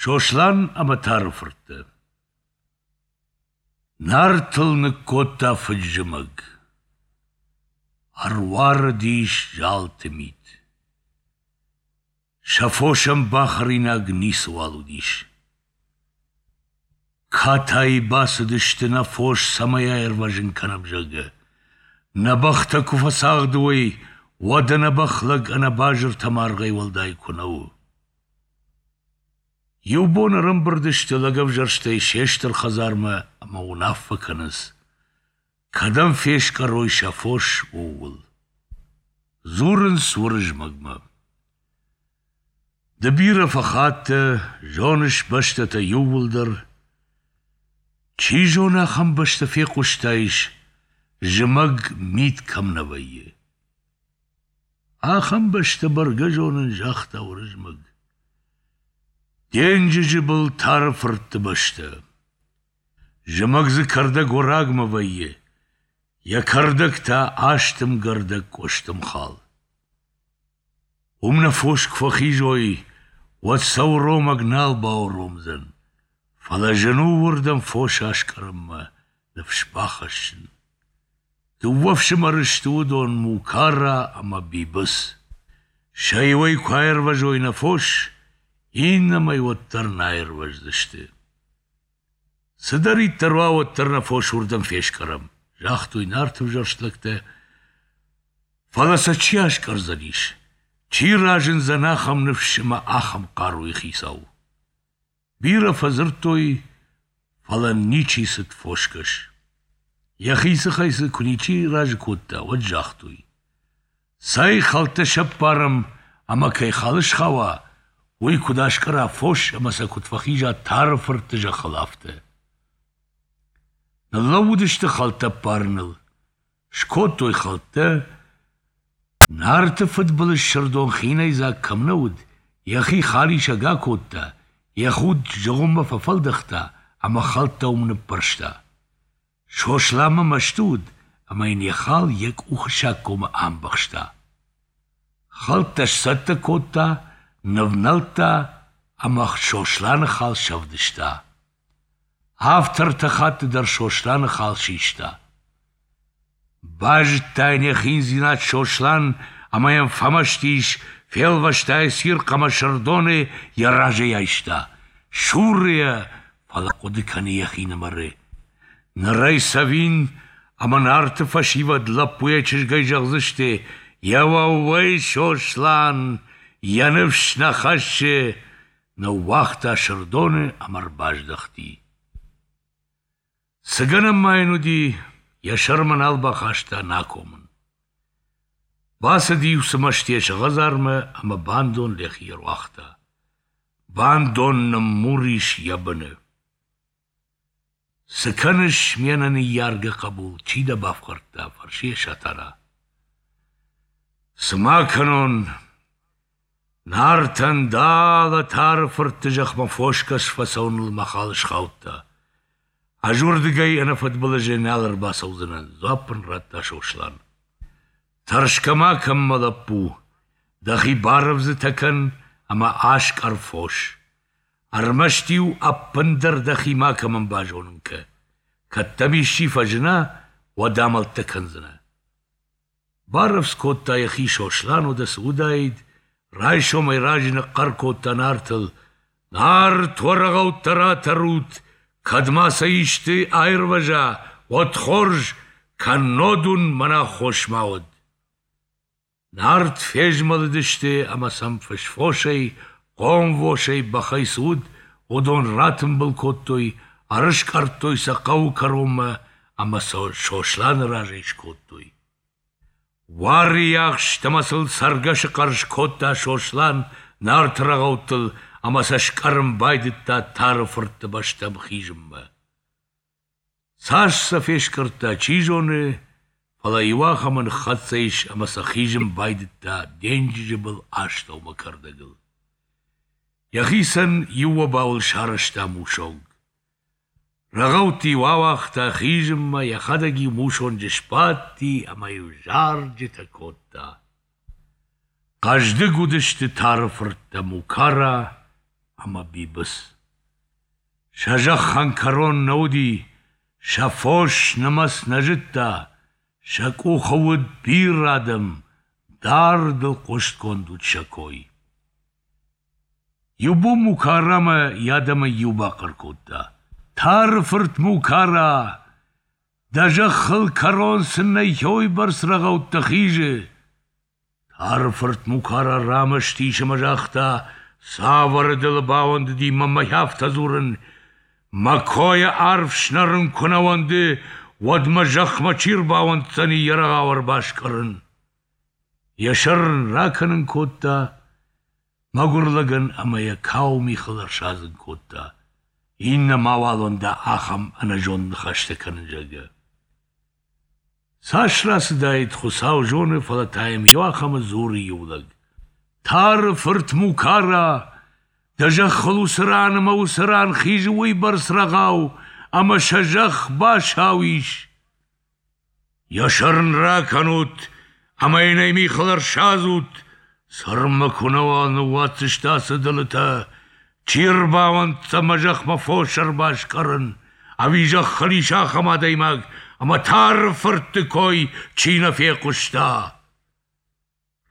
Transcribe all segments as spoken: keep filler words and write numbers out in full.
Сослан ӕмӕ Тары фырттӕ Нартыл ныккодта фыд-зымӕг. Ӕруарыдис залты мит. Сӕ фосӕн бахӕринаг ницыуал уыдис. Катайы бацыдысты, нӕ фос цӕмӕй аирвӕзын кӕнӕм, зӕгъгӕ. Нӕ бӕхтӕ куы фӕцагъды уой, уӕд ӕнӕбӕх лӕг ӕнӕбазыртӕ маргъӕй уӕлдай куы нӕ у. Иу бон ӕрӕмбырд сты лӕгӕвзӕрстӕй се стыр хӕдзармӕ ӕмӕ уынаффӕ кӕнынц, кӕдӕм фескъӕрой сӕ фос, ууыл. Дзурынц Уырызмӕгмӕ. Ды бирӕ фӕхаттӕ, зоныс бӕстӕтӕ иууылдӕр. Чи зоны, ахӕм бӕстӕ фехъуыстаис, зымӕг мит кӕм нӕ вӕййы. Ахӕм бӕстӕ бӕргӕ зонын, загъта Уырызмӕг. Денджызы был Тары фыртты бӕстӕ. Зымӕг дзы кӕрдӕг уӕрагмӕ вӕййы, йӕ кӕрдӕг та астымгӕрдӕг къуыстымхал. Уым нӕ фос куы фӕхизой, уӕд сӕ уромӕг нал бауромдзӕн, фӕлӕ зын у уырдӕм фос аскъӕрынмӕ ныфс бахӕссын. Дыууӕ фсымӕры сты уыдон Мукара ӕмӕ Бибыц. Сӕ иуӕй куы аирвӕзой нӕ фос, иннӕмӕй уӕддӕр нӕ аирвӕздзысты. Цыдӕриддӕр уа, уӕддӕр нӕ фос уырдӕм фескъӕрӕм, загътой нарты ӕвзӕрст лӕгтӕ. Фӕлӕ сӕ чи аскъӕрдзӕнис, чи разындзӕн ахӕм ныфс ӕмӕ ахӕм хъаруйы хицау? Бирӕ фӕдзырдтой, фӕлӕ ничи цыд фосгӕс. Йӕхи дзыхӕй дзы куы ничи разы кодта, уӕд загътой: Цӕй хӕлттӕ сӕппарӕм ӕмӕ кӕй хал схауа, уый куыд аскъӕра фос ӕмӕ сӕ куыд фӕхиза Тары фыртты зӕххыл, афтӕ. Ныллӕууыдысты хӕлттӕ ӕппарыныл. Скодтой хӕлттӕ. Нарты фыдбылыз Сырдон хинӕйдзаг кӕм нӕ уыд, йӕхи халисӕг акодта, йӕ худ зыгъуыммӕ фӕфӕлдӕхта ӕмӕ хӕлттӕ уым ныппӕрста. Сосланмӕ мӕсты уыд ӕмӕ йын йӕ хал йӕ къухы саггомы амбӕхста. Хӕлттӕ сцӕттӕ кодта, нывнӕлдта ӕмӕ Сосланы хал сӕвдыста. Афтӕ ӕртӕ хатты дӕр Сосланы хал систа. Базыдта йын йӕ хиндзинад Сослан ӕмӕ йӕм фӕмӕсты ис, фелвӕста йӕ цирхъ ӕмӕ Сырдоны йӕ разӕй айста. Суры йӕ, фӕлӕ хъуыды кӕны йӕхинымӕры. Ныр ӕй цӕвин ӕмӕ Нарты фӕсивӕд лӕппуйӕ-чызгӕй зӕгъдзысты: «Йӕ уӕууӕй, Сослан, йӕ ныфс нӕ хӕссы!» Ныууагъта Сырдоны ӕмӕ ӕрбаздӕхти. Цы гӕнӕн ма йын уыди, йӕ сӕрмӕ нал бахаста нӕ акомын. Бацыди уыцы мӕстыйӕ сӕ хӕдзармӕ ӕмӕ бандон йӕхи ӕруагъта. Бандон ныммур ис йӕ быны. Цы кӕныс, ме нӕныййаргӕ хъӕбул, чи дӕ бафхӕрдта? – фӕрсы йӕ Сатана. Цы ма кӕнон, Нартӕн далӕ Тары фыртты зӕхмӕ фосгӕс фӕцӕуыныл мӕ хал схаудта. Ӕз уырдыгӕй ӕнӕфыдбылызӕй нал ӕрбацӕудзынӕн, дзуапп ын радта Сослан. Тӕрсгӕ ма кӕн, мӕ лӕппу, дӕхи барӕвдзытӕ кӕн ӕмӕ аскъӕр фос. Ӕрмӕст-иу ӕппындӕр дӕхи макӕмӕн базонын кӕ. Кӕд дӕм исчи фӕзына, уӕд амӕлттӕ кӕндзынӕ. Барӕвдз кодта йӕхи Сослан, уӕдӕ цы уыдаид, райсомӕй раджы ныхъхъӕр кодта Нартыл: «Нарт, уӕ рӕгъӕуттӕ ратӕрут, кӕд ма сӕ исты аирвӕза, уӕд хорз, кӕннод уын мӕн аххос ма уӕд!» Нарт фезмӕлыдысты ӕмӕ сӕм фысфосӕй, хъомвосӕй, бӕхӕй цы уыд, уыдон ратымбыл кодтой, ӕрыскъӕрдтой сӕ хъӕуы кӕронмӕ ӕмӕ сӕ Сосланы разӕй скодтой. Уарийы ахст ӕмӕ сыл цӕргӕсы хъӕр скодта Сослан Нарты рӕгъӕуттыл ӕмӕ сӕ скъӕрын байдыдта Тары фыртты бӕстӕм хизынмӕ. Цас сӕ фескъӕрдта, чи зоны, фӕлӕ иуахӕмы ныххӕццӕ ис ӕмӕ сӕ хизын байдыдта денджызы был астӕумӕ кӕрдӕгыл. Йӕхицӕн иу обауыл сарӕзта мусонг. Рӕгъӕутты-иу ауагъта хизынмӕ, йӕхӕдӕг-иу мусонджы сбадти ӕмӕ-иу зарджытӕ кодта. Хъӕздыг уыдысты Тары фырттӕ Мукара ӕмӕ Бибыц. Сӕ зӕххӕн кӕрон нӕ уыди, сӕ фос нымӕц нӕ зыдта, сӕ къухы уыд бирӕ адӕм, дардыл хъуыстгонд уыд сӕ кой. Иу бон Мукарамӕ йӕ адӕмӕй иу бахъӕр кодта: «Тары фырт Мукара! Дӕ зӕххыл кӕрон цы нӕй, уыйбӕрц рӕгъӕуттӕ хизы!» Тары фырт Мукара рамӕсты ис ӕмӕ загъта: «Цавӕр ӕдылы бауӕндыди мӕнмӕ афтӕ дзурын? Мӕ койӕ арв снӕрын куы нӕ уӕнды, уӕд мӕ зӕхмӕ чи рбауӕнддзӕни йӕ рӕгъау ӕрбаскъӕрын?» Йӕ сӕр ын ракӕнын кодта мӕгуыр лӕгӕн ӕмӕ йӕ кауы михыл ӕрсадзын кодта, иннӕ мауал уӕнда ахӕм ӕнӕзонд ныхӕстӕ кӕнын, зӕгъгӕ. Цас рацыдаид, Хуыцау зоны, фӕлӕ та йӕм иуахӕмы дзуры иу лӕг: «Тары фырт Мукара, дӕ зӕххыл уыцы ран ӕмӕ уыцы ран хизы уыйбӕрц рӕгъау, ӕмӕ сӕ зӕхх басау ис. Йӕ сӕр ын ракӕнут ӕмӕ йын ӕй михыл ӕрсадзут, цӕрынмӕ куы нӕуал ныууадздзысты ацы ӕдылытӕ, чи ӕрбауӕнддзӕн мӕ зӕхмӕ фос ӕрбаскъӕрын, ӕви зӕххыл ис ахӕм адӕймаг, ӕмӕ Тары фыртты кой чи нӕ фехъуыста?»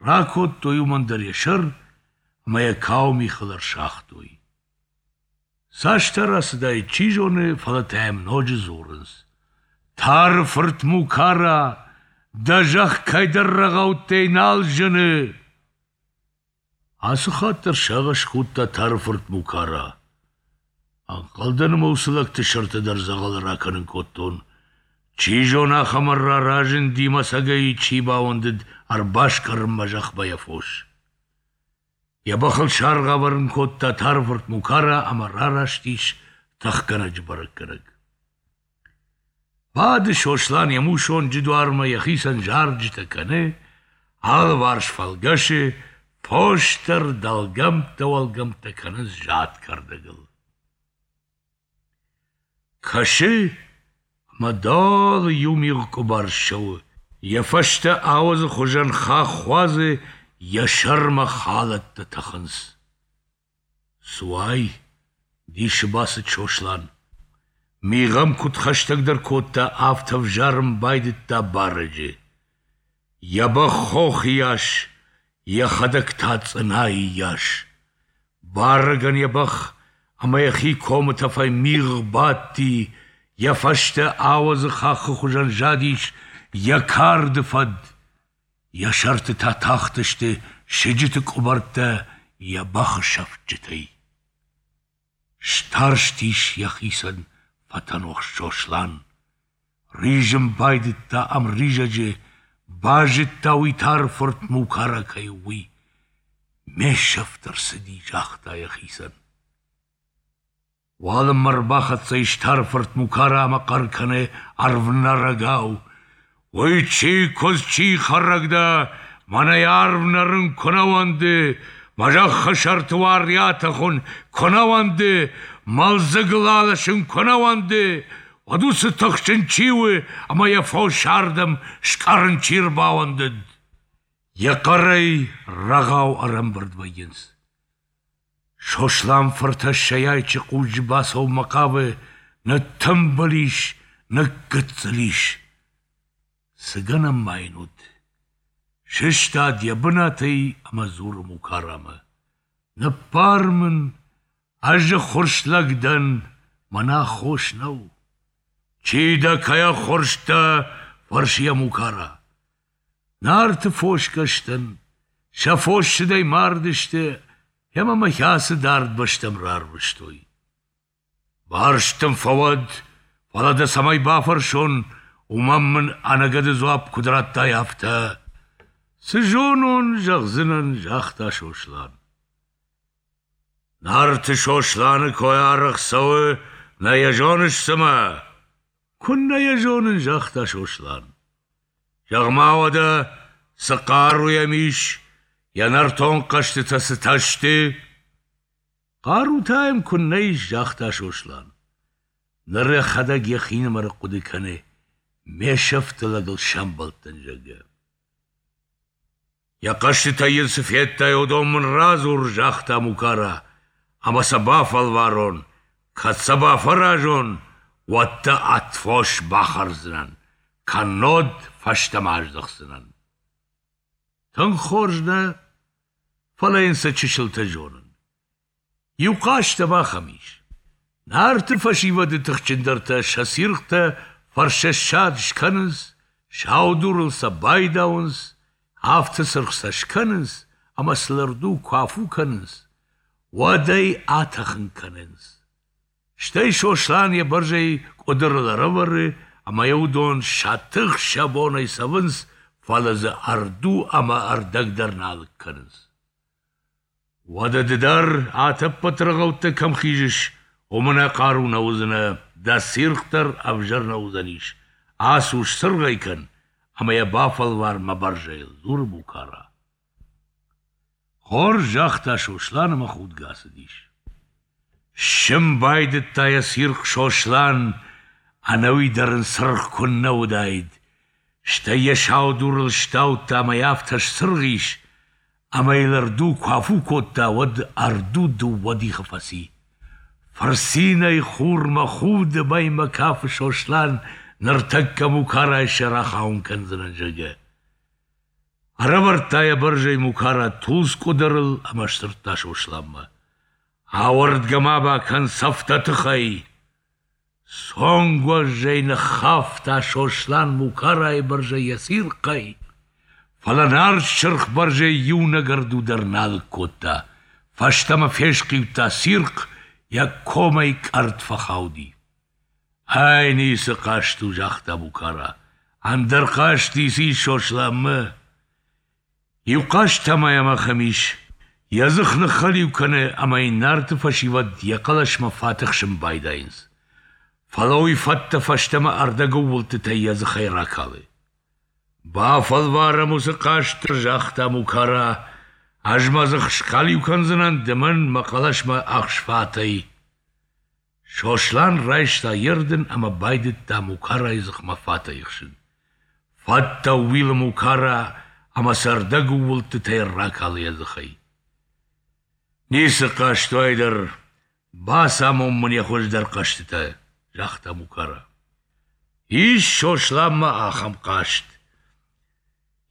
Ракодтой уымӕн дӕр йӕ сӕр ӕмӕ йӕ кауы михыл ӕрсагътой. Цастӕ рацыдаид, чи зоны, фӕлӕ та йӕм ноджы дзурынц: «Тары фырт Мукара, дӕ зӕхх кӕйдӕр рӕгъӕуттӕй нал зыны!» Ацы хатт дӕр сагъӕс кодта Тары фырт Мукара. Ӕнхъӕлдӕн ӕмӕ уыцы лӕгты сӕртӕ дӕр дзӕгъӕлы ракӕнын кодтон. Чи зоны, ахӕм ӕрра разынди мӕ цӕгӕй чи бауӕндыд ӕрбаскъӕрынмӕ зӕхмӕ йӕ фос. Йӕ бӕхыл саргъ ӕвӕрын кодта Тары фырт Мукара ӕмӕ рараст ис тыхгӕнӕджы бӕрӕггӕнӕг. Бады Сослан йӕ мусонджы дуармӕ, йӕхицӕн зарджытӕ кӕны, алыварс фӕлгӕсы, фос дӕр дӕлгӕмттӕ-уӕлгӕмттӕ кӕнынц зад кӕрдӕгыл. Кӕсы, ӕмӕ дӕлӕ иу мигъ къуыбар ссӕуы, йӕ фӕстӕ ауӕдзы хуызӕн хахх уадзы, йӕ сӕрмӕ халӕттӕ тӕхынц. Цы уай? Дисы бацыд Сослан. Мигъ ӕм куыд хӕстӕгдӕр кодта, афтӕ ӕвзарын байдыдта барӕджы. Йӕ бӕх хохы йас, йӕхӕдӕг та цъынайы йас. Барӕгӕн йӕ бӕх ӕмӕ йӕхи комы тӕфӕй мигъ бадти, йӕ фӕстӕ ауӕдзы хаххы хуызӕн задис йӕ карды фӕд. Йӕ сӕрты та тахтысты сыджыты къуыбӕрттӕ йӕ бӕхы сӕфтджытӕй. Старстис йӕхицӕн фӕтӕнуӕхст Сослан. Ризын байдыдта ӕмризӕджы, базыдта уый Тары фырт Мукара кӕй у, уый. Ме сӕфт ӕрцыди, загъта йӕхицӕн. Уалынмӕ ӕрбахӕццӕ ис Тары фырт Мукара ӕмӕ хъӕр кӕны ӕрвнӕрӕгау: «Уый чи куыдз, чи хӕрӕг дӕ, мӕнӕй арв нӕрын куы нӕ уӕнды, мӕ зӕххы сӕрты уари атӕхын куы нӕ уӕнды, мӕлдзыгыл алӕсын куы нӕ уӕнды, уӕд уыцы тыхджын чи у ӕмӕ йӕ фос ардӕм скъӕрын чи рбауӕндыд?» Йӕ хъӕрӕй рӕгъау ӕрӕмбырд вӕййынц. Сослан фыртӕссӕй айчы хъузджы бацӕуынмӕ хъавы, ныттымбыл ис, ныггыццыл ис. Цы гӕнӕн ма йын уыд? Сыстад йӕ бынатӕй ӕмӕ дзуры Мукарамӕ: «Ныббар мын, ӕз ӕххуырст лӕг дӕн, мӕн аххос нӕу». «Чи дӕ, кӕй ӕххуырст дӕ?» фӕрсы йӕ Мукара. «Нарты фосгӕстӕн, сӕ фос сыдӕй мардысты ӕмӕ мӕ ацы дард бӕстӕм рарвыстой. Барст дын фӕуӕд, фӕлӕ дӕ цӕмӕй бафӕрсон, уымӕн мын ӕнӕгӕды дзуапп куыд радтай, афтӕ. Цы зонон, зӕгъдзынӕн, загъта Сослан. Нарты Сосланы кой арӕх цӕуы, нӕ йӕ зоныс цымӕ? Куыннӕ йӕ зонын, загъта Сослан. Зӕгъ-ма уӕдӕ, цы хъару йӕм ис, йӕ нӕртон хъӕзтытӕ цытӕ сты? Хъарутӕ йӕм куыннӕ ис, загъта Сослан. Ныр йӕхӕдӕг йӕхинымӕры хъуыды кӕны, ме сӕфты лӕгыл сӕмбӕлдтӕн, зӕгъгӕ. Йӕ хъӕзтытӕй йын цы федтай, уыдон мын радзур, загъта Мукара. ӕмӕ сӕ бафӕлварон, кӕд сӕ бафӕразон, уӕд дӕ ӕд фос бахӕрдзынӕн, кӕннод фӕстӕмӕ аздӕхдзынӕн. Тынг хорз нӕ, фӕлӕ йын сӕ чысылтӕ зонын. Иу хъазт ӕм ахӕм ис. Нарты фӕсивӕды тыхджындӕртӕ сӕ цирхътӕ фӕрсӕссад скӕнынц, сау дурыл сӕ байдауынц, афтӕ цыргъ сӕ скӕнынц, ӕмӕ сыл ӕрду куы афу кӕнынц, уӕд ӕй атӕхын кӕнынц. Стӕй Сослан йӕ бӕрзӕй къуыдырыл ӕрӕвӕры, ӕмӕ йӕ уыдон сӕ тых сӕ бонӕй цӕвынц, фӕлӕ дзы ӕрду ӕмӕ ӕрдӕг дӕр нӕ алыг кӕнынц. Уӕдӕ ды дӕр атӕппӕт рӕгъӕуттӕ кӕм хизыс, уым ӕнӕ хъару нӕ уыдзынӕ, дӕ цирхъ дӕр ӕвзӕр нӕ уыдзӕнис, ацу, сцыргъ ӕй кӕн ӕмӕ йӕ бафӕлвар мӕ бӕрзӕйыл, дзуры Мукара. Хорз, загъта Сослан ӕмӕ худгӕ ацыдис. Ссын байдыдта йӕ цирхъ Сослан, ӕнӕуи дӕр ын цыргъ куыннӕ уыдаид, стӕй йӕ сау дурыл сдаудта ӕмӕ йӕ афтӕ сцыргъ ис, ӕмӕ йыл ӕрду куы афу кодта, уӕд ӕрду дыууӕ дихы фӕци. Фырцинӕй хурмӕ худы, мӕймӕ кафы Сослан, ныртӕккӕ Мукарайы сӕр ахауын кӕндзынӕн, зӕгъгӕ. Ӕрӕвӕрдта йӕ бӕрзӕй Мукара тулдз къуыдырыл ӕмӕ сдзырдта Сосланмӕ: Ауӕрдгӕ ма бакӕн цӕфтӕ тыхӕй! Цонгуӕзӕй ныххафта Сослан Мукарайы бӕрзӕй йӕ цирхъӕй, фӕлӕ нард сырх бӕрзӕй иунӕг ӕрду дӕр нӕ алыг кодта, фӕстӕмӕ фесхъиудта цирхъ, йӕ комӕй къӕртт фӕхауди. Ай ницы хъазт у, загъта Мукара, ӕндӕр хъазт ницы ис Сосланмӕ. Иу хъазт та ма йӕм ахӕм ис, йӕ дзых ныххӕлиу кӕны ӕмӕ йын нарты фӕсивӕд йӕ хъӕлӕсмӕ фат ӕхсын байдайынц. Фӕлӕ уый фӕттӕ фӕстӕмӕ ӕрдӕгӕууылдтытӕй йӕ дзыхӕй ракалы. Бафӕлварӕм уыцы хъазт, загъта Мукара, ӕз мӕ дзых схӕлиу кӕндзынӕн, ды мӕн мӕ хъӕлӕсмӕ ӕхс фатӕй. Сослан райста йе рдын ӕмӕ байдыдта Мукарайы дзыхмӕ фатӕй ӕхсын. Фӕттӕ ӕууилы Мукара ӕмӕ сӕ ӕрдӕгӕууылдтытӕй ракалы йӕ дзыхӕй. Ницы хъазт у ай дӕр, бацамон мын йӕ хуыздӕр хъӕзтытӕ, загъта Мукара. Ис Сосланмӕ ахӕм хъазт.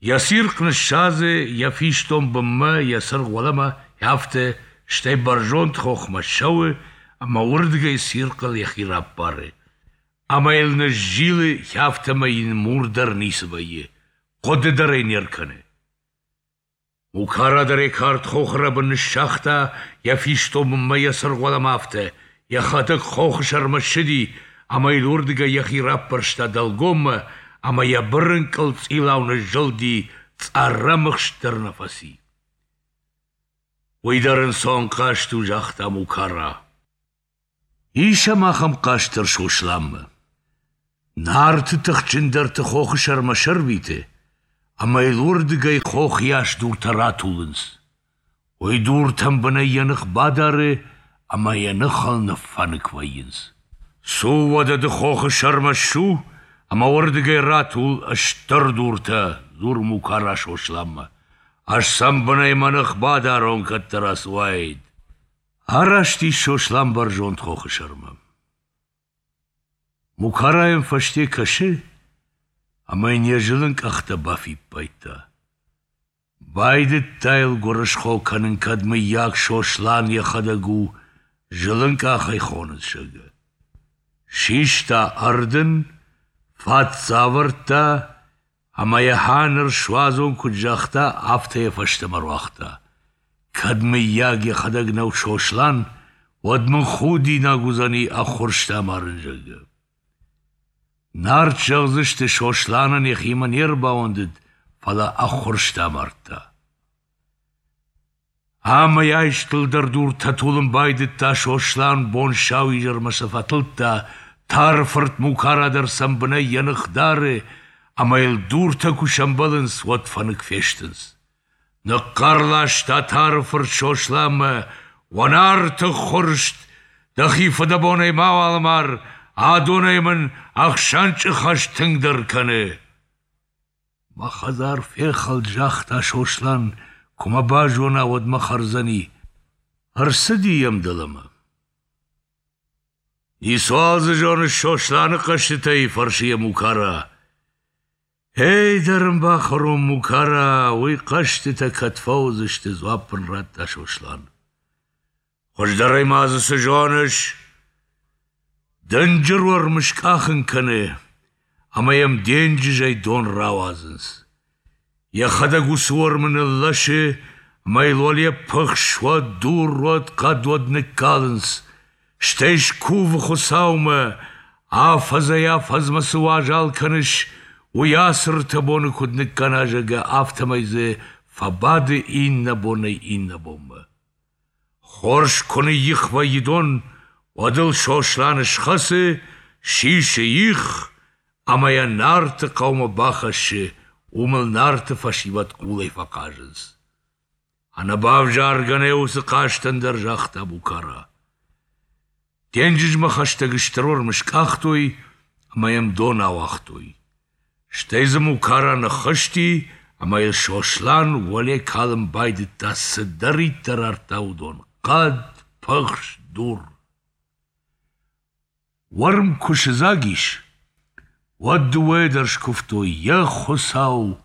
Йӕ цирхъ ныссадзы, йӕ фистон бынмӕ, йӕ цыргъ уӕлӕмӕ, афтӕ, стӕй бӕрзонд хохмӕ ссӕуы ӕмӕ уырдыгӕй цирхъыл йӕхи раппары. Ӕмӕ йыл ныззилы, афтӕмӕй йын мур дӕр ницы вӕййы, хъуыды дӕр ӕй не ркӕны. Мукара дӕр йӕ кард хохы рӕбын ныссагъта, йӕ фистон бынмӕ, йӕ цыргъ уӕлӕмӕ афтӕ, йӕхӕдӕг хохы сӕрмӕ ссыди ӕмӕ йыл уырдыгӕй йӕхи раппӕрста дӕлгоммӕ ӕмӕ йӕ бырынкъыл цъилау ныззылди, цъӕррӕмыхст дӕр нӕ фӕци. Уый дӕр ӕнцон хъазт у, загъта Мукара. Ис ӕм ахӕм хъазт дӕр Сосланмӕ. Нарты тыхджындӕрты хохы сӕрмӕ сӕрвиты, ӕмӕ йыл уырдыгӕй хохыйас дуртӕ ратулынц. Уый дуртӕм бынӕй йӕ ных бадары ӕмӕ йӕ ныхыл ныффӕнык вӕййынц. Цу, уӕдӕ ды хохы сӕрмӕ ссу ӕмӕ уырдыгӕй ратул стыр дуртӕ, дзуры Мукара Сосланмӕ. Ӕз сӕм бынӕй мӕ ных бадарон, кӕддӕра цы уаид. Араст ис Сослан бӕрзонд хохы сӕрмӕ. Мукара йӕм фӕсте кӕсы ӕмӕ йын йӕ зылын къӕхтӕ бафиппайдта. Байдыдта йыл гуырысхо кӕнын, кӕд мыййаг Сослан йӕхӕдӕг у, зылын къахӕй хонынц, зӕгъгӕ. Систа ӕрдын, фат дзы авӕрдта ӕмӕ йӕ ныр суадзон куыд загъта, афтӕ йӕ фӕстӕмӕ руагъта. Кӕд мыййаг йӕхӕдӕг нӕу Сослан, уӕд мын худинаг уыдзӕни ӕххуырст амарын, зӕгъгӕ. Нарт зӕгъдзысты, Сосланӕн йӕхимӕ не рбауӕндыд, фӕлӕ ӕххуырст амардта. Ӕмӕ айстыл дӕр дуртӕ тулын байдыдта Сослан, бон-сауизӕрмӕ сӕ фӕтылдта, Тары фырт Мукара дӕр сӕм бынӕй йӕ ных дары, ӕмӕ йыл дуртӕ куы сӕмбӕлынц, уӕд фӕнык фестынц. Ныхъхъӕр ласта Тары фырт Сосланмӕ: «Уӕ Нарты ӕххуырст, дӕхи фыдӕбонӕй мауал мар, адонӕй мын ӕхсӕнчъы хӕст тынгдӕр кӕны!» Мӕ хӕдзар фехӕлд, загъта Сослан, куы мӕ базона, уӕд мӕ хӕрдзӕни. Ӕрцыди йӕм дӕлӕмӕ. Ницуал дзы зоныс Сосланы хъӕзтытӕй, фӕрсы йӕ Мукара. Эй, дӕ рын бахӕрон, Мукара, уый хъӕзтытӕ кӕд фӕуыдзысты, дзуапп ын радта Сослан. Хуыздӕрӕй ма дзы цы зоныс? Дынджыр уӕрм скъахын кӕны, ӕмӕ йӕм денджызӕй дон рауадзынц. Йӕхӕдӕг уыцы уӕрмы ныллӕсы, ӕмӕ йыл уӕле пыхс уӕд, дур уӕд, хъӕд уӕд ныккалынц. Стӕй скувы Хуыцаумӕ, афӕдзӕй-афӕдзмӕ цы уазал кӕныс, уый ацы ртӕ боны куыд ныккӕна, зӕгъгӕ, афтӕмӕй дзы фӕбады иннӕ бонӕй иннӕ бонмӕ. Хорз куы ныйих вӕййы дон, уӕд ыл Сослан схӕцы, сисы их ӕмӕ йӕ Нарты хъӕумӕ бахӕссы, уым ыл Нарты фӕсивӕд хъулӕй фӕхъазынц. Ӕнӕбавзаргӕ нӕй уыцы хъазтӕн дӕр, загъта Мукара. Денджызмӕ хӕстӕг стыр уӕрм скъахтой ӕмӕ йӕм дон ауагътой. Стӕй дзы Мукара ныххызти ӕмӕ йыл Сослан уӕле калын байдыдта, цыдӕриддӕр ардта, уыдон — хъӕд, пыхс, дур. Уӕрм куы сыдзаг ис, уӕд дыууӕйӕ дӕр скуывтой: «Йӕ Хуыцау,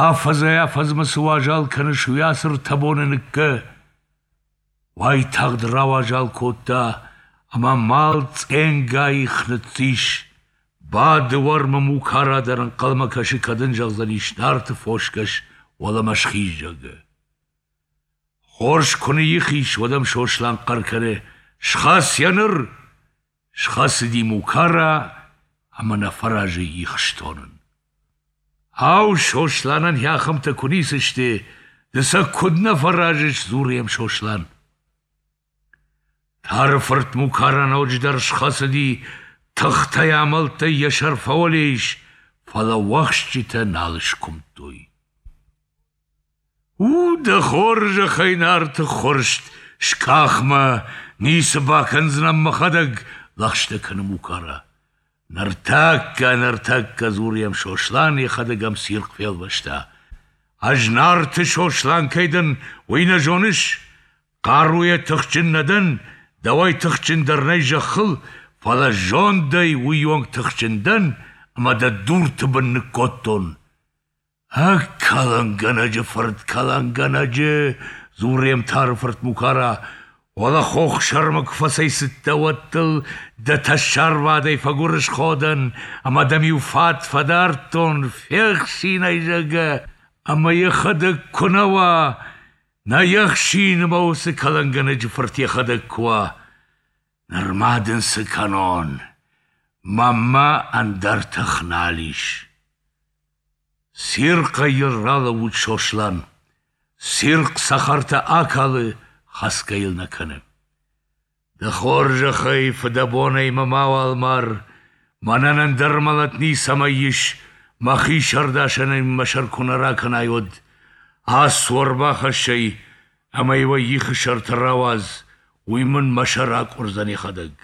афӕдзӕй-афӕдзмӕ цы уазал кӕныс, уый ацы ртӕ боны ныккӕ!» Уайтагъд рауазал кодта, ӕмӕ мал цъенга их ныццис. Бады уӕрмы Мукара дӕр ӕнхъӕлмӕ кӕсы, кӕд ын зӕгъдзӕнис Нарты фосгӕс, уӕлӕмӕ схиз, зӕгъгӕ. Хорз куы ныйих ис, уӕд ӕм Сослан хъӕр кӕны: «Схӕц йӕ ныр!» Схӕцыди Мукара ӕмӕ нӕ фӕразы их стонын. Ау, Сосланӕн йӕ ахӕмтӕ куы ницы сты, ды сӕ куыд нӕ фӕразыс, дзуры йӕм Сослан. Тары фырт Мукара ноджыдӕр схӕцыди, тыхтӕй-амӕлттӕй йӕ сӕр фӕуӕле ис, фӕлӕ уӕхсчытӕ нал скуымдтой. У, дӕ хорзӕхӕй, Нарты ххуырст, скъах мӕ, ницы бакӕндзынӕн мӕхӕдӕг, лӕгъстӕ кӕны Мукара. Ныртӕккӕ, ныртӕккӕ, дзуры йӕм Сослан, йӕхӕдӕг ӕм цирхъ фелвӕста. Ӕз Нарты Сослан кӕй дӕн, уый нӕ зоныс? Хъаруйӕ тыхджын нӕ дӕн, дӕуӕй тыхджындӕр нӕй зӕххыл, фӕлӕ зондӕй уыйонг тыхджын дӕн, ӕмӕ дӕ дурты бын ныккодтон. Ӕ, кӕлӕнгӕнӕджы фырт, кӕлӕнгӕнӕджы, дзуры йӕм Тары фырт Мукара, уӕлӕ хох сӕрмӕ куы фӕцӕйцыдтӕ, уӕд дыл дӕ тӕссарвадӕй фӕгуырысхо дӕн ӕмӕ дӕм иу фат фӕдардтон, фехсин ӕй, зӕгъгӕ, ӕмӕ йӕхӕдӕг куы нӕ уа, нӕ йе хсин ӕмӕ уыцы кӕлӕнгӕнӕджы фырт йӕхӕдӕг куы уа. Ныр ма дын цы кӕнон, мӕнмӕ ӕндӕр тых нал ис. Цирхъӕй йыл ралӕууыд Сослан. Цирхъ цӕхӕртӕ акалы, хӕцгӕ йыл нӕ кӕны. Дӕ хорзӕхӕй, фыдӕбонӕй мӕ мауал мар, мӕнӕн ӕндӕр мӕлӕт ницӕмӕй ис, мӕхи сӕрдасӕнӕй мӕ сӕр куы нӕ ракӕнай, уӕд. Ацу, ӕрбахӕсс ӕй, ӕмӕ-иу ӕй ихы сӕрты рауадз, уый мын мӕ сӕр акъуырдзӕн йӕхӕдӕг.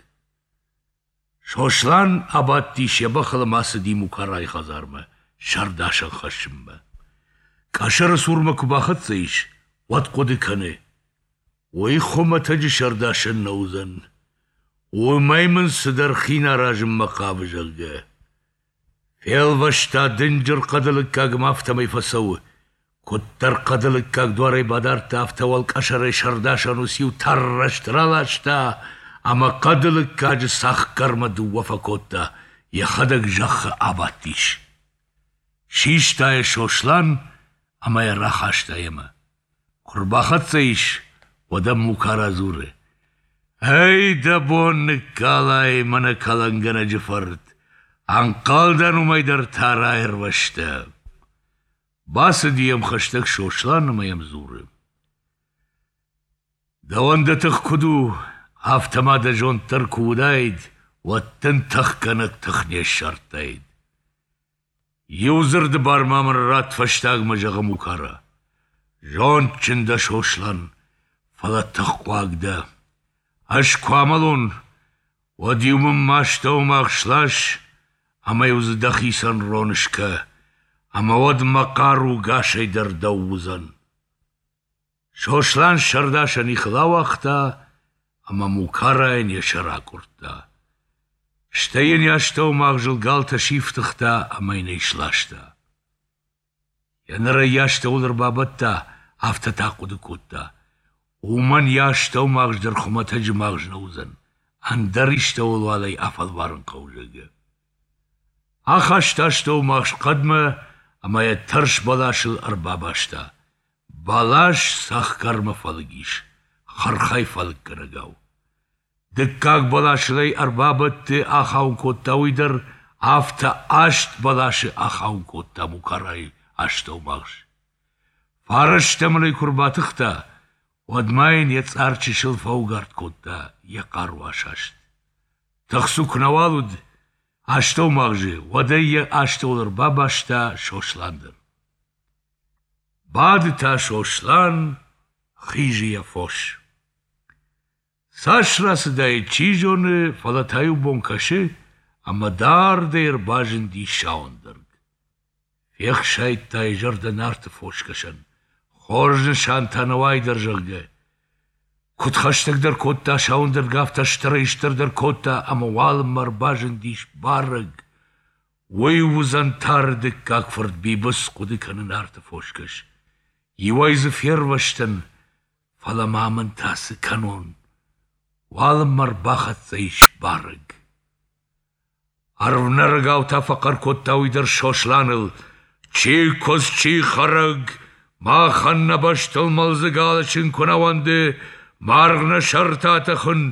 Сослан абадтис йӕ бӕхыл ӕмӕ ацыди Мукарайы хӕдзармӕ сӕрдасӕн хӕссынмӕ. Къӕсӕры цурмӕ куы бахӕццӕ ис, уӕд хъуыды кӕны: уый хуымӕтӕджы сӕрдасӕн нӕ уыдзӕн. Уымӕй мын цыдӕр хин аразынмӕ хъавы, зӕгъгӕ. Фелвӕста дынджыр хъӕды лыггаг ӕмӕ афтӕмӕй фӕцӕуы. Куыддӕр хъӕды лыггаг дуарӕй бадардта, афтӕ уӕлкъӕсӕрӕй сӕрдасӕн уыциу тӕррӕст раласта ӕмӕ хъӕды лыггаджы цӕхгӕрмӕ дыууӕ фӕкодта, йӕхӕдӕг зӕххы абадтис. Систа йӕ Сослан ӕмӕ йӕ рахаста йемӕ. Куы рбахӕццӕ ис, уӕд ӕм Мукара дзуры: «Ӕй, дӕ бон ныккалай, мӕнӕ кӕлӕнгӕнӕджы фырт, ӕнхъӕлдӕн уымӕй дӕр та раирвӕзтӕ». Бацыди йӕм хӕстӕг Сослан ӕмӕ йӕм дзуры: «Дӕуӕн дӕ тых куыд у, афтӕ ма дӕ зонд дӕр куы уыдаид, уӕд дын тыхгӕнӕг тых не ссардтаид. Иу дзырды бар ма мын ратт фӕстагмӕ, зӕгъы Мукара. Зондджын дӕ, Сослан, фӕлӕ тыххъуаг дӕ. Ӕз куы амӕлон, уӕд-иу мын мӕ астӕуымагъз слас ӕмӕ-иу дзы дӕхицӕн рон скӕ, ӕмӕ уӕд мӕ хъару гасӕй дӕр дӕу уыдзӕн. Сослан сӕрдасӕн ихыл ауагъта ӕмӕ Мукарайӕн йӕ сӕр акъуырдта. Стӕй йын йӕ астӕумагъзыл галтӕ сифтыгъта ӕмӕ йын ӕй сласта. Йӕ ныр ӕй йӕ астӕуыл ӕрбабӕтта, афтӕ та ахъуыды кодта: уымӕн йӕ астӕумагъз дӕр хуымӕтӕджы магъз нӕ уыдзӕн, ӕндӕр истӕуыл уал ӕй афӕлварын хъӕуы, зӕгъгӕ. Ахаста астӕумагъз хъӕдмӕ ӕмӕ йӕ тӕрс бӕласыл ӕрбабаста. Бӕлас цӕхгӕрмӕ фӕлыг ис, хырхӕй фӕлыггӕнӕгау. Дыккаг бӕласыл ӕй ӕрбабӕтты, ахауын кодта уый дӕр, афтӕ аст бӕласы ахауын кодта Мукарайы астӕумагъз. Фарӕстӕм ыл ӕй куы ӕрбатыхта, уӕд ма йын йӕ цъар чысыл фӕугард кодта, йӕ хъару асаст. Тыхцу куы нӕуал уыд астӕумагъзы, уӕд ӕй йӕ астӕуыл ӕрбабаста Сослан дӕр. Бады та Сослан, хизы йӕ фос. Цас рацыдаид, чи зоны, фӕлӕ та иу бон кӕсы, ӕмӕ дардӕй ӕрбазынди сау ӕндӕрг. Фехсайдта йӕ зӕрдӕ Нарты фосгӕсӕн, хорз нысан та нӕ уайдӕр, зӕгъгӕ. Куыд хӕстӕгдӕр кодта сау ӕндӕрг, афтӕ стырӕй-стырдӕр кодта ӕмӕ уалынмӕ ӕрбазындис барӕг. Уый уыдзӕн Тары дыккаг фырт Бибыц, хъуыды кӕны Нарты фосгӕс. Иуӕй дзы фервӕзтӕн, фӕлӕ ма мын та цы кӕнон? Уалынмӕ ӕрбахӕццӕ ис барӕг. Ӕрвнӕрӕгау та фӕхъӕр кодта уый дӕр Сосланыл: «Чи куыдз, чи хӕрӕг, махӕн нӕ бӕстыл мӕлдзыг алӕсын куы нӕ уӕнды, маргъ нӕ сӕрты атӕхын,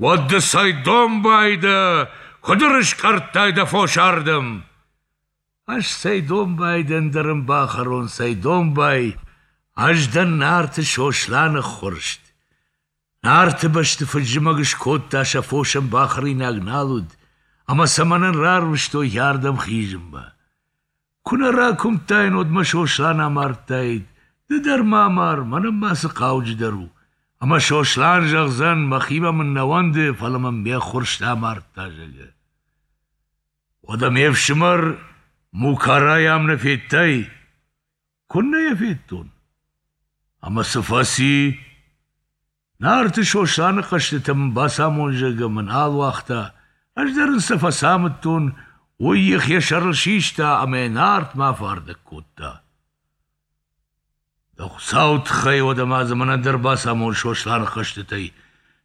уӕд ды цӕй домбай дӕ, куыд ӕрыскъӕрдтай дӕ фос ардӕм?» Ӕз цӕй домбай дӕн, дӕ рын бахӕрон, цӕй домбай, ӕз дӕн Нарты Сосланы ххуырст. Нарты бӕсты фыд-зымӕг скодта, сӕ фосӕн бахӕринаг нал уыд, ӕмӕ сӕ мӕнӕн рарвыстой ардӕм хизынмӕ. Куы нӕ ракуымдтаин, уӕд мӕ Сослан амардтаид, ды дӕр ма амар, мӕнӕн ма цы хъауджыдӕр у. Ӕмӕ Сослан зӕгъдзӕн, мӕхимӕ мын нӕ уӕнды, фӕлӕ мын ме ххуырст амардта, зӕгъгӕ. Уӕдӕ ме фсымӕр Мукарайы ам нӕ федтай? Куыннӕ йӕ федтон? Ӕмӕ цы фӕци? Нарты Сосланы хъӕзтытӕ мын бацамон, зӕгъгӕ, мӕ нал уагъта, ӕз дӕр ын сӕ фӕцамыдтон, уый их йӕ сӕрыл систа ӕмӕ йӕ Нартмӕ афардӕг кодта. Дӕ Хуыцауы тыххӕй, уӕдӕ ма дзы мӕнӕн дӕр бацамон Сосланы хъӕзтытӕй,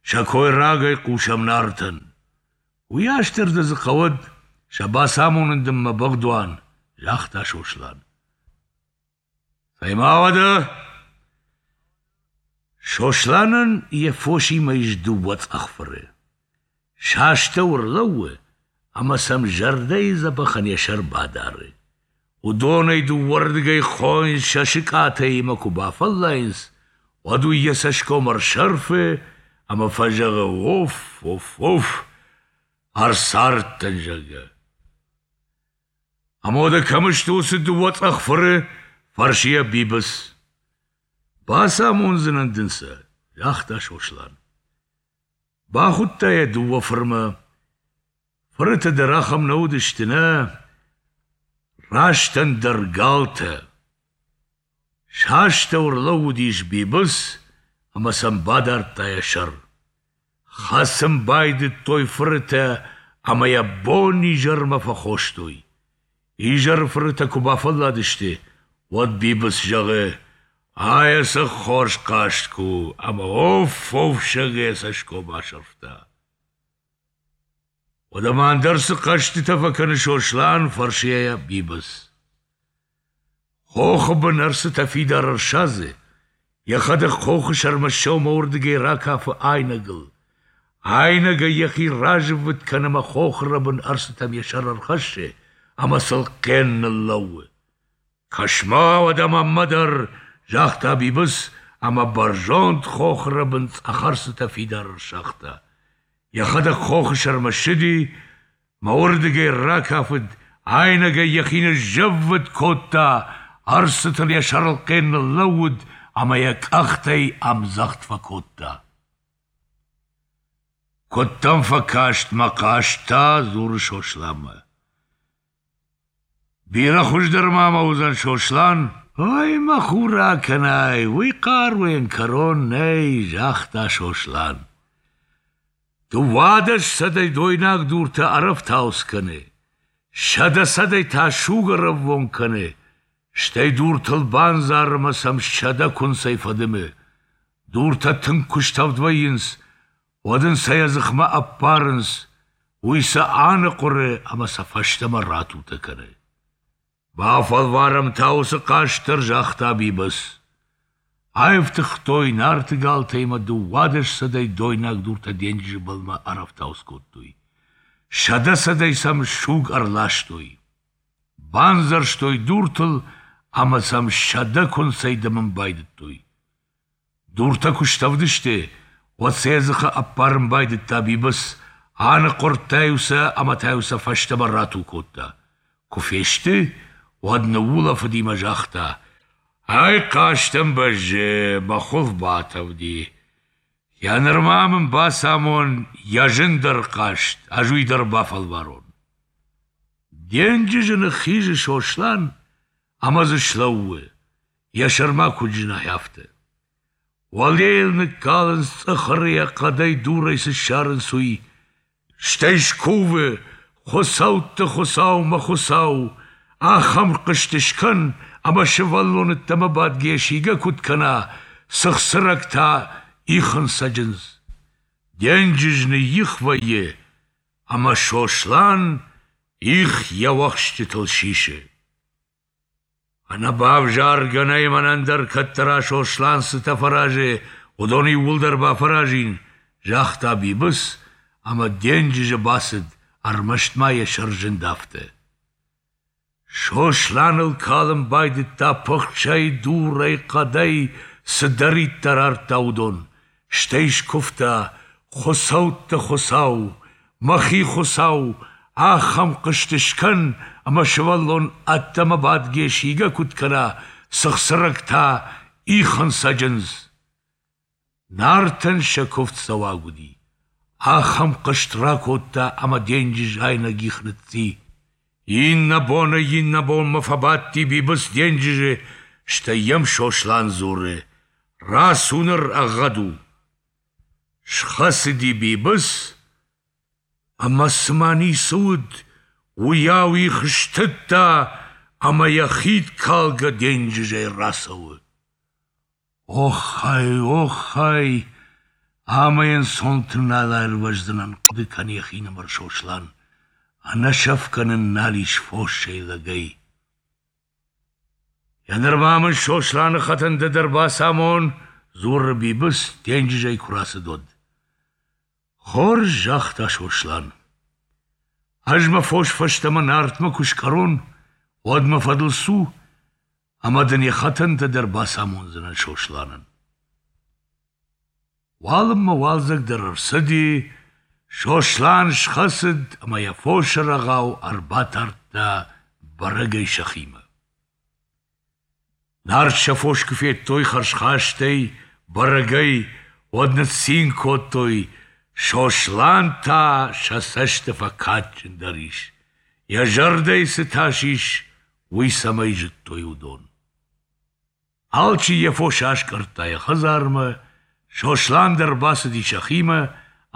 сӕ кой рагӕй хъусӕм Нартӕн. Уыйас дӕр дӕ дзы хъӕуӕд, сӕ бацамонын дын мӕ быгъдуан, загъта Сослан. Цӕй-ма уӕдӕ? Сосланӕн йӕ фосимӕ ис дыууӕ цъӕх фыры. Сӕ астӕу ӕрлӕууы ӕмӕ сӕм зӕрдӕйы дзӕбӕхӕн йӕ сӕр бадары. Уыдонӕй дыууӕрдыгӕй хойынц сӕ сыкъатӕй ӕмӕ куы бафӕллайынц, уӕд уый йӕ цӕсгом ӕрсӕрфы ӕмӕ фӕзӕгъы уф, уф, уф, ӕрцардтӕн, зӕгъгӕ. Ӕмӕ уӕдӕ кӕм сты уыцы дыууӕ цъӕх фыры? фӕрсы йӕ Бибыц. Бацамондзынӕн дын сӕ, загъта Сослан. Бахуыдта йӕ дыууӕ фырмӕ. Фырытӕ дӕр ахӕм нӕ уыдысты, нӕ, раст ӕндӕр галтӕ. Сӕ астӕу ӕрлӕууыдис Бибыц ӕмӕ сӕм бадардта йӕ сӕр. Хӕцын байдыдтой фырытӕ ӕмӕ йӕ бон-изӕрмӕ фӕхостой. Изӕры фырытӕ куы бафӕлладысты, уӕд Бибыц зӕгъы: «Ай ӕцӕг хорз хъазт куы у!» ӕмӕ оф-оф зӕгъгӕ йӕ цӕсгом асӕрфта. Уӕдӕ ма ӕндӕр цы хъӕзтытӕ фӕкӕны Сослан, фӕрсы йӕ Бибыц. Хохы бын ӕрсытӕ фидар ӕрсадзы, йӕхӕдӕг хохы сӕрмӕ ссӕуы мӕ уырдыгӕй ракафы айнӕгыл. Айнӕгӕй йӕхи разыввытт кӕны ӕмӕ хохы рӕбын ӕрсытӕм йӕ сӕр ӕрхӕссы ӕмӕ сыл хъен ныллӕууы. Кӕс-ма уӕдӕ мӕнмӕ дӕр, загъта Бибыц ӕмӕ бӕрзонд хохы рӕбын цъӕх ӕрсытӕ фидар ӕрсагъта. Йӕхӕдӕг хохы сӕрмӕ ссыди, мӕ уырдыгӕй ракафыд, айнӕгӕй йӕхи ныззӕввытт кодта, ӕрсытыл йӕ сӕрыл хъен ныллӕууыд ӕмӕ йӕ къӕхтӕй ӕмдзӕгъд фӕкодта. Куыд дӕм фӕкаст мӕ хъазт та, дзуры Сосланмӕ. Бирӕ хуыздӕр ма мӕ уыдзӕн Сослан, Ой, мӕ хур акӕнай, уый хъаруйӕн кӕрон нӕй, загъта Сослан. Дыууадӕс цӕдӕй дойнаг дуртӕ ӕрӕфтауц кӕны, сӕдӕ цӕдӕй та суг ӕрӕввонг кӕны, стӕй дуртыл бандзары ӕмӕ сӕм сӕдӕ куынцӕй фӕдымы. Дуртӕ тынг куы стӕвд вӕййынц, уӕд ын сӕ йӕ дзыхмӕ ӕппарынц, уый сӕ аныхъуыры ӕмӕ сӕ фӕстӕмӕ ратутӕ кӕны. Бафӕлварӕм та уыцы хъазт дӕр, загъта Бибыц. Аифтыгътой Нарты галтӕй ӕмӕ дыууадӕс цӕдӕй дойнаг дуртӕ денджызы былмӕ ӕрӕфтауц кодтой. Сӕдӕ цӕдӕй сӕм суг ӕрластой. Бандзӕрстой дуртыл ӕмӕ сӕм сӕдӕ куынцӕй дымын байдыдтой. Дуртӕ куы стӕвд сты, уӕд сӕ йӕ дзыхы ӕппарын байдыдта Бибыц, аныхъуырдта-иу сӕ ӕмӕ та-иу сӕ фӕстӕмӕ рату кодта. Куы фесты, уӕд ныуулӕфыди мӕ загъта: «Ай хъазтӕн бӕззы, мӕ хуылф батӕвди. Йӕ нырма мын бацамон йӕ зындӕр хъазт, ӕз уый дӕр бафӕлварон». Денджызы ныххизы Сослан ӕмӕ дзы слӕууы, йӕ сӕрмӕ куыд зына, афтӕ. Уӕле йыл ныккалынц цъыхырыйӕ хъӕдӕй дурӕй цы ссарынц, уый. Стӕй скувы: Хуыцӕутты хуыцау, мӕ хуыцау, ахӕм хъызт скӕн, ӕмӕ сывӕллон ӕддӕмӕ бадгӕйӕ сийгӕ куыд кӕна, цыхцырӕг та ихын цӕджындз. Денджыз ныйих вӕййы, ӕмӕ Сослан их йӕ уӕхсчытыл сисы. Ӕнӕбавзаргӕ нӕй мӕнӕн дӕр, кӕддӕра Сослан цытӕ фӕразы, уыдон иууылдӕр бафӕразин, загъта Бибыц ӕмӕ денджызы бацыд, ӕрмӕст ма йӕ сӕр зынд афтӕ. Сосланыл калын байдыдта пыхсӕй, дурӕй, хъӕдӕй, цыдӕриддӕр ардта, уыдон, стӕй скуывта: Хуыцӕутты хуыцау, мӕхи хуыцау, ахӕм хъызт скӕн, ӕмӕ сывӕллон ӕддӕмӕ бадгӕ сийгӕ куыд кӕна, цыхцырӕг та ихын цӕджындз. Нартӕн сӕ куывд цӕуаг уыди. Ахӕм хъызт ракодта, ӕмӕ денджыз айнӕг их ныцци. Иннӕ бонӕй иннӕ бонмӕ фӕбадти Бибыц денджызы, стӕй йӕм Сослан дзуры: Рацу ныр, ӕгъгъӕд у. Схӕцыди Бибыц, ӕмӕ цыма ницы уыд, уыйау их стыдта ӕмӕ йӕ хид калгӕ денджызӕй рацӕуы. Оххай, оххай, амӕй ӕнцонты нал аирвӕздзынӕн, хъуыды кӕны йӕхинымӕр Сослан. Ӕнӕсӕфгӕ нын нал ис фосӕй, лӕгӕй. Йӕ нырма мын Сосланы хӕтӕнтӕ дӕр бацамон, дзуры Бибыц, денджызӕй куы рацыд, уӕд. Хорз, загъта Сослан. Ӕз мӕ фос фӕстӕмӕ Нартмӕ куы скъӕрон, уӕд мӕ фӕдыл цу, ӕмӕ дын йӕ хӕтӕнтӕ дӕр бацамондзынӕн Сосланӕн. Уалынмӕ уалдзӕг дӕр ӕрцыди, Сослан схӕцыд ӕмӕ йӕ фосы рӕгъау ӕрбатардта бӕрӕгӕй сӕхимӕ. Нарт сӕ фос куы федтой хӕрзхастӕй, бӕрӕгӕй, уӕд ныццин кодтой, Сослан та сӕ цӕсты фӕкадджындӕр ис, йӕ зӕрдӕйы цы тас ис, уый цӕмӕй зыдтой уыдон. Алчи йӕ фос аскъӕрдта йӕ хӕдзармӕ, Сослан дӕр бацыди сӕхимӕ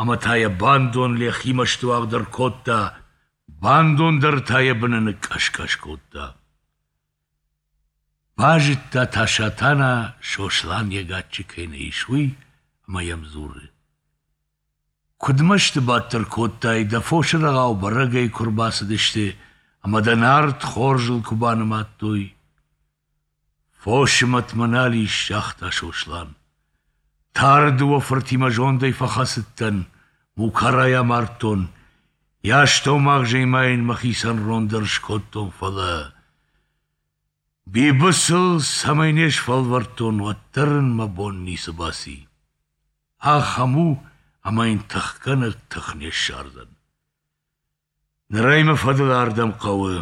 ӕмӕ та йӕ бандон лӕхимӕ стуагъд ӕркодта, бандон дӕр та йӕ быны ныкъкъӕс-къӕс кодта. Базыдта та Сатана, Сослан йӕ гаччы кӕй нӕ ис, уый, ӕмӕ йӕм дзуры: Куыд мӕсты бадт ӕркодтай, дӕ фосы рӕгъау бӕрӕгӕй куы ӕрбацыдысты ӕмӕ дӕ Нарт хорзыл куы банымадтой. Фосы мӕт мӕ нал ис, загъта Сослан. Тары дыууӕ фыртимӕ зондӕй фӕхӕцыдтӕн, Мукарайы амардтон, йӕ астӕумагъзӕй ма йын мӕхицӕн рон дӕр скодтон, фӕлӕ Бибыцыл цӕмӕй не сфӕлвӕрдтон, уӕддӕр ын мӕ бон ницы баци. Ахӕм у, ӕмӕ йын тыхгӕнӕг тых не ссардзӕн. Ныр ӕй мӕ фӕдыл ардӕм хъӕуы,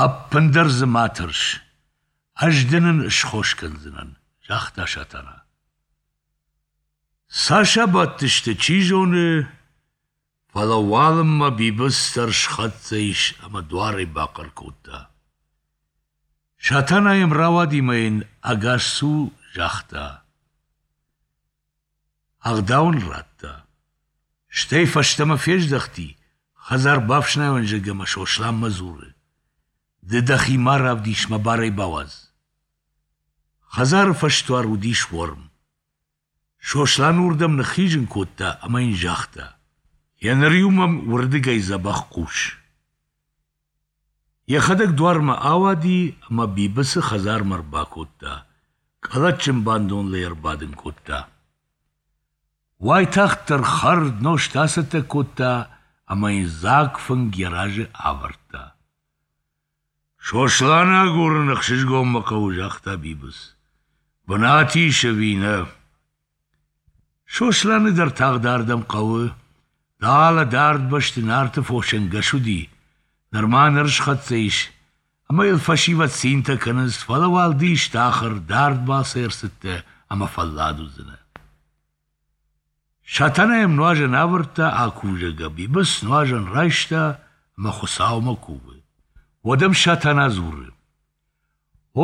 ӕппындӕр дзы ма тӕрс, ӕз дын ын схос кӕндзынӕн, загъта Сатана. Цас абадтысты, чи зоны, фӕлӕ уалынмӕ Бибыц дӕр схӕццӕ ис ӕмӕ дуарӕй бахъӕр кодта. Сатана йӕм рауади мӕ йын ӕгас цу загъта. Ӕгъдау ын радта. Стӕй фӕстӕмӕ фездӕхти, хӕдзар бафснайон, зӕгъгӕ, ӕмӕ Сосланмӕ дзуры: Ды дӕхи ма равдис, мӕ бар ӕй бауадз. Хӕдзары фӕсдуар уыдис уӕрм. Сослан уырдӕм ныххизын кодта ӕмӕ йын загъта: Еныр-иу мӕм уырдыгӕй дзӕбӕх хъус. Йӕхӕдӕг дуармӕ ауади ӕмӕ Бибыцы хӕдзармӕ ӕрбакодта, къӕлӕтджын бандоныл ӕй ӕрбадын кодта. Уайтагъддӕр хӕрд, нозт ацӕттӕ кодта ӕмӕ йын дзаг фынг йӕ разы авӕрдта. Сосланы агурын ӕхсызгон мӕ хъӕуы, загъта Бибыц. Бынат ис ӕви нӕ? Сосланы дӕр тагъд ардӕм хъӕуы. Далӕ дард бӕсты Нарты фосӕнгӕс уыди, нырма ныр схӕццӕ ис, ӕмӕ йыл фӕсивӕд цинтӕ кӕнынц, фӕлӕ уал ды исты ахӕр, дард балцӕй ӕрцыдтӕ ӕмӕ фӕллад уыдзынӕ. Сатана йӕм нуазӕн авӕрдта, акувзӕгӕ Бибыц нуазӕн райста ӕмӕ Хуыцаумӕ кувы. Уӕд ӕм Сатана дзуры: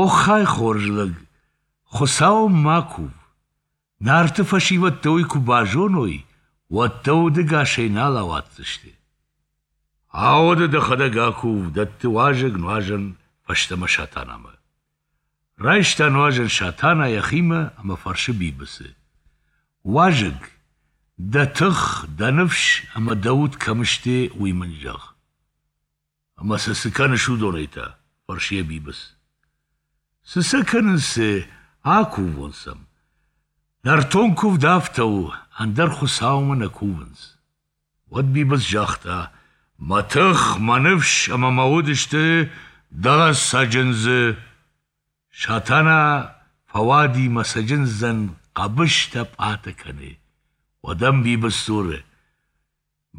Оххай, хорз лӕг, Хуыцаумӕ ма кув. Нарты фӕсивӕд дӕ уый куы базоной, уӕд дӕ удӕгасӕй нал ауадздзысты. Ауӕдӕ дӕхӕдӕг акув, дӕтты уазӕг нуазӕн фӕстӕмӕ Сатанамӕ. Райста нуазӕн Сатана йӕхимӕ ӕмӕ фӕрсы Бибыцы: Уазӕг, дӕ тых, дӕ ныфс ӕмӕ дӕ уд кӕм сты, уый мын зӕгъ. Ӕмӕ сӕ цы кӕныс уыдонӕй та? фӕрсы йӕ Бибыц. Цы сӕ кӕнынц, цы, акувон сӕм. Нӕртон куывд афтӕ у, ӕндӕр хуыцаумӕ нӕ кувынц. Уӕд Бибыц загъта: Мӕ тых, мӕ ныфс ӕмӕ мӕ уд сты дӕлӕ цӕджындзы. Сатана фӕуади мӕ цӕджындзӕн хъӕбыстӕ-пъатӕ кӕны. Уӕд ӕм Бибыц дзуры: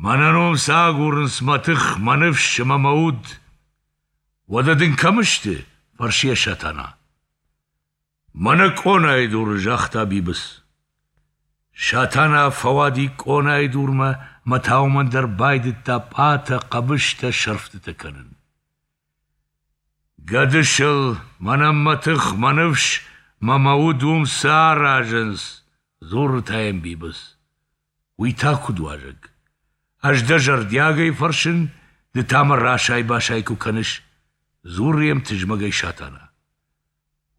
Мӕнӕн уым цы агурынц мӕ тых, мӕ ныфс ӕмӕ мӕ уд? Уӕдӕ дын кӕм сты? фӕрсы йӕ Сатана. Мӕнӕ къонайы дуры, загъта Бибыц. Сатана фӕуади къонайы дурмӕ ӕмӕ та уымӕн дӕр байдыдта пъатӕ, хъӕбыстӕ, сӕрфтытӕ кӕнын. Гӕдысыл, мӕнӕн мӕ тых, мӕ ныфс мӕ мӕ уд уым цы аразынц? дзуры та йӕм Бибыц. Уый та куыд уазӕг? Ӕз дӕ зӕрдиагӕй фӕрсын, ды та мӕ расай-басай куы кӕныс, дзуры йӕм тызмӕгӕй Сатана.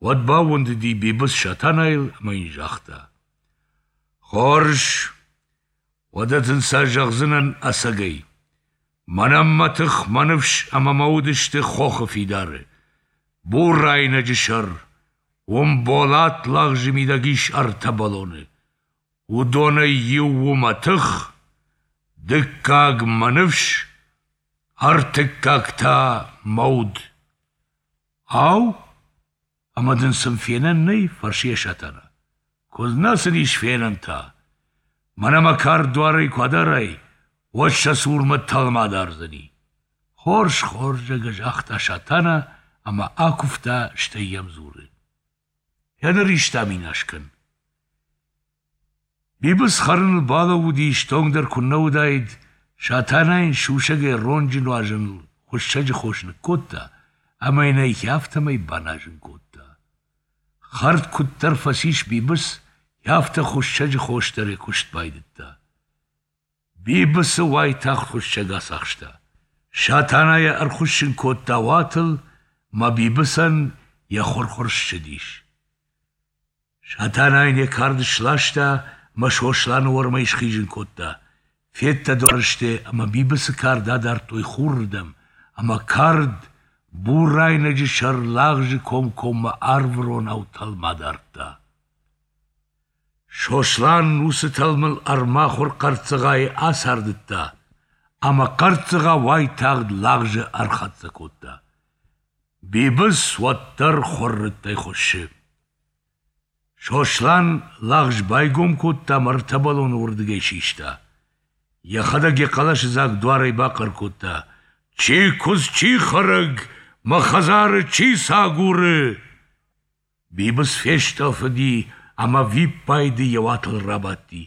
Уӕд баууӕндыди Бибыц Сатанайыл ӕмӕ йын загъта: Хорз, уӕдӕ дын сӕ зӕгъдзынӕн ӕцӕгӕй. Мӕнӕн мӕ тых, мӕ ныфс ӕмӕ мӕ уд сты хохы фидары. Бур айнӕджы сӕр. Уым болат лагъзы мидӕг ис ӕртӕ бӕлоны. Уыдонӕй иу у мӕ тых, дыккаг мӕ ныфс, ӕртыккаг та мӕ уд. Ау, ӕмӕ дын сын фенӕн нӕй? фӕрсы йӕ Сатана. Куыд нӕ сын ис фенӕн та? Мӕнӕ мӕ кард дуарӕй куы адарай, уӕд сӕ цурмӕ тӕлм адардзӕни. Хорз, хорз, зӕгъгӕ, загъта Сатана ӕмӕ акуывта, стӕй йӕм дзуры: Еныр исты аминас кӕн. Бибыц хӕрыныл балӕууыди, стонгдӕр куыннӕ уыдаид, Сатана йын сусӕгӕй ронджы нуазӕныл хуыссӕджы хос ныккодта ӕмӕ йын ӕй афтӕмӕй баназын кодта. Хӕрд куыддӕр фӕцис Бибыц, афтӕ хуыссӕджы хос дӕр йӕ куыст байдыдта. Бибыцы уайтагъд хуыссӕг ацахста. Сатана йӕ ӕрхуыссын кодта уатыл, мӕ Бибыцӕн йӕ хуыр-хуыр ссыдис. Сатана йын йӕ кард сласта ӕмӕ Сосланы уӕрмӕй схизын кодта. Феддӕдуар сты ӕмӕ Бибыцы кард адардтой хурырдӕм, ӕмӕ кард бур айнӕджы сӕр лагъзы комкоммӕ арвыронау тӕлм адардта. Сослан уыцы тӕлмыл ӕрмахуыр хъӕрццыгъайы ацардыдта, ӕмӕ хъӕрццыгъа уайтагъд лагъзы ӕрхӕццӕ кодта. Бибыц уӕддӕр хуыррыттӕй хуыссы. Сослан лагъз байгом кодта ӕмӕ ӕртӕ бӕлоны уырдыгӕй систа. Йӕхӕдӕг йӕ хъӕлӕсыдзаг дуарӕй бахъӕр кодта: Чи куыдз, чи хӕрӕг, мӕ хӕдзары чи цы агуры? Бибыц фестъӕлфыди ӕмӕ виппайды йӕ уатыл рабадти.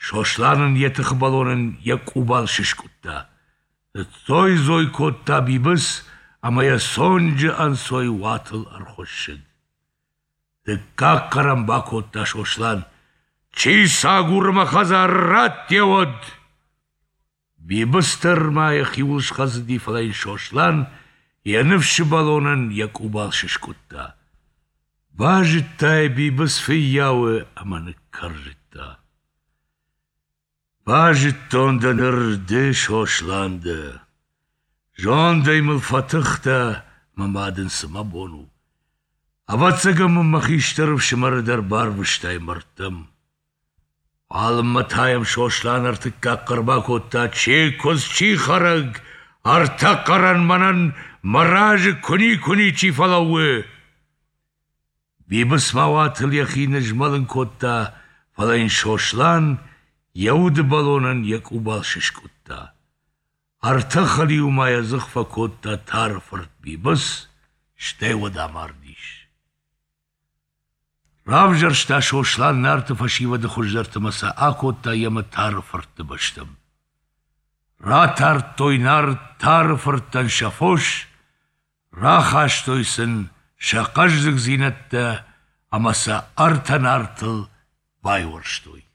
Сослан ын йӕ тыхы бӕлонӕн йӕ къубал сыскъуыдта. Ныдздзой-дзой кодта Бибыц ӕмӕ йӕ цонджы ӕнцой уатыл ӕрхуыссыд. Дыккаг хъӕр ӕм бакодта Сослан: «Чи цы агуры мӕ хӕдзары, раттӕуӕд!» Бибыц дӕр ма йӕхиуыл схӕцыди, фӕлӕ йын Сослан йӕ ныфсы бӕлонӕн йӕ къубал сыскъуыдта. Базыдта йӕ Бибыц фыййауы ӕмӕ ныккӕрзыдта. Базыдтон дӕ ныр, ды Сослан дӕ. Зондӕй мыл фӕтых дӕ, мӕ ма дын цы мӕ бон у. Ӕвӕццӕгӕн мын мӕ хистӕр ӕфсымӕры дӕр барвыстай мӕрдтӕм. Уалынмӕ та йӕм Сослан ӕртыккаг хъӕр бакодта: «Чи куыдз, чи хӕрӕг, ӕртӕ хъӕрӕн мӕнӕн мӕ разы куы никуы ничи фӕлӕууы!» Бибыц ма уатыл йӕхи нызмӕлын кодта, фӕлӕ йын Сослан йӕ уды бӕлонӕн йӕ къубал сыскъуыдта. Ӕртӕ хӕлиуы ма йӕ дзых фӕкодта Тары фырт Бибыц, стӕй уӕд амардис. Равзӕрста Сослан Нарты фӕсивӕды хуыздӕрты мӕ сӕ акодта йемӕ Тары фыртты бӕстӕм. Ратардтой Нарт Тары фырттӕн сӕ фос, рахастой сын сӕ хъӕздыгдзинӕдтӕ ӕмӕ сӕ ӕртӕ Нартыл байуӕрстой.